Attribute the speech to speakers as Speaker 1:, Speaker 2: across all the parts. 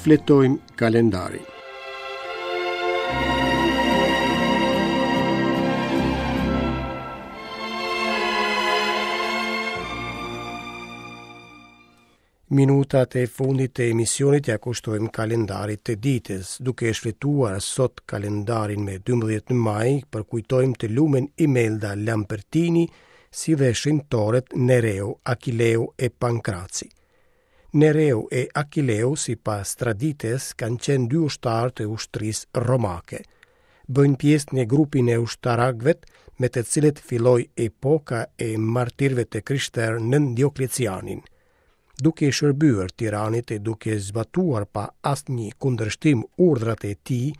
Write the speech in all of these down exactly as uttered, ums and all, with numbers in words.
Speaker 1: Shfletojmë kalendarin. Minutat e fundit të emisionit ia kushtojmë kalendarit të ditës, duke e shfletuar sot kalendarin me dymbëdhjetë maj, përkujtojmë të lumen Imelda Lampertini, si dhe shenjtorët Nereu, Akileu e Pankraci. Nereu e Akileu, sipas traditës, kanë qenë dy ushtarë të ushtrisë romake. Bëjnë pjesë në grupin e ushtarakëve me të cilët filloi epoka e martirëve të krishterë nën Dioklecianin. Duke i shërbyer tiranit e duke zbatuar pa asnjë kundërshtim urdhrat e tij,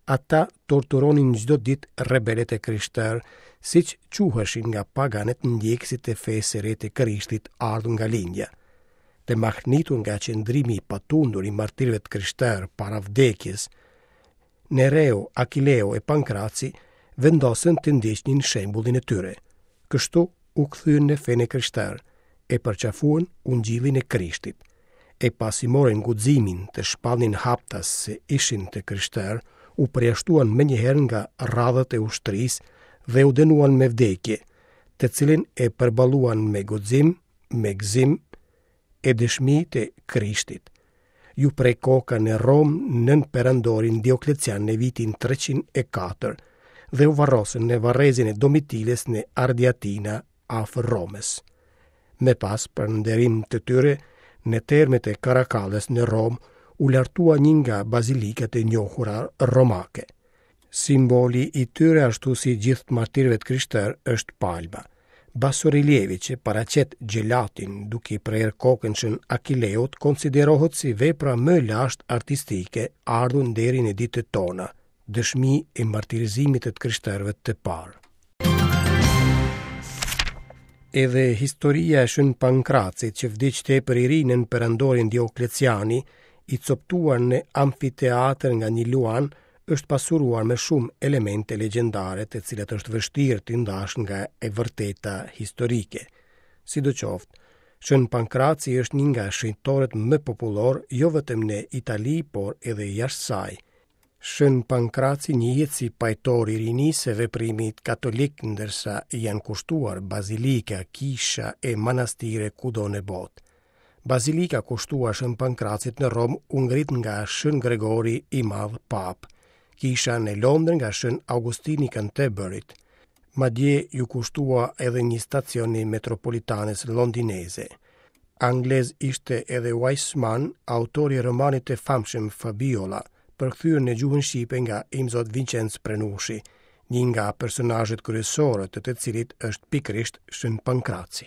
Speaker 1: ata torturonin çdo ditë rebelët e krishterë, siç quheshin nga paganët ndjekësit e fesë së re të Krishtit ardhur nga lindja. Të mahnitur nga qëndrimi i patundur i martirëve të krishterë para vdekjes, Nereu, Akileu e Pankraci vendosën të ndiqnin shembullin e tyre. Kështu u kthyen në fenë e krishterë, e përqafuan ungjillin e Krishtit. E pasi morën guximin të shpallnin haptas se ishin të krishterë, u përjashtuan menjëherë nga radhët e ushtrisë dhe u dënuan me vdekje, të cilin e përballuan me guxim, me gëzim e dëshmi të Krishtit. Ju pre koka në Romë nën perandorin Dioklecian në vitin treqind e katër dhe u varrosën në varrezën e Domitilës në Ardiatina afër Romës. Me pas, për nderim të tyre, në termet e Karakallës në Romë u lartua një nga bazilikat e njohura romake. Simboli i tyre, ashtu si gjithë martirëve të krishterë, është palma. Basorelievi që paraqet xhelatin duke i prerë kokën shën Akileut konsiderohet si vepra më e lashtë artistike ardhur deri në ditët tona, dëshmi e martirizimit të krishterëve të parë. Edhe historia e Shën Pankracit, që vdiq tepër i ri nën perandorin Diokleciani, i coptuar në amfiteatër nga një luan, është pasuruar me shumë elemente legjendare të cilat është vështirë t'i ndash nga e vërteta historike. Sidoqoftë, Shën Pankraci është një nga shenjtorët më popullor jo vetëm në Itali, por edhe jashtë saj. Shën Pankraci njihet si pajtor i rinisë së veprimit katolik, ndërsa i janë kushtuar bazilika, kisha e manastire kudo në botë. Bazilika kushtuar Shën Pankracit në Romë u ngrit nga Shën Gregori i Madh Papë, kisha në Londër nga Shën Augustini i Canterburyt. Madje ju kushtua edhe një stacion i metropolitanes londineze. Anglez ishte edhe Wiseman, autori i romanit të famshëm Fabiola, përkthyer në gjuhën shqipe nga Imzot Vincenc Prenushi, një nga personazhet kryesore të të cilit është pikërisht Shën Pankraci.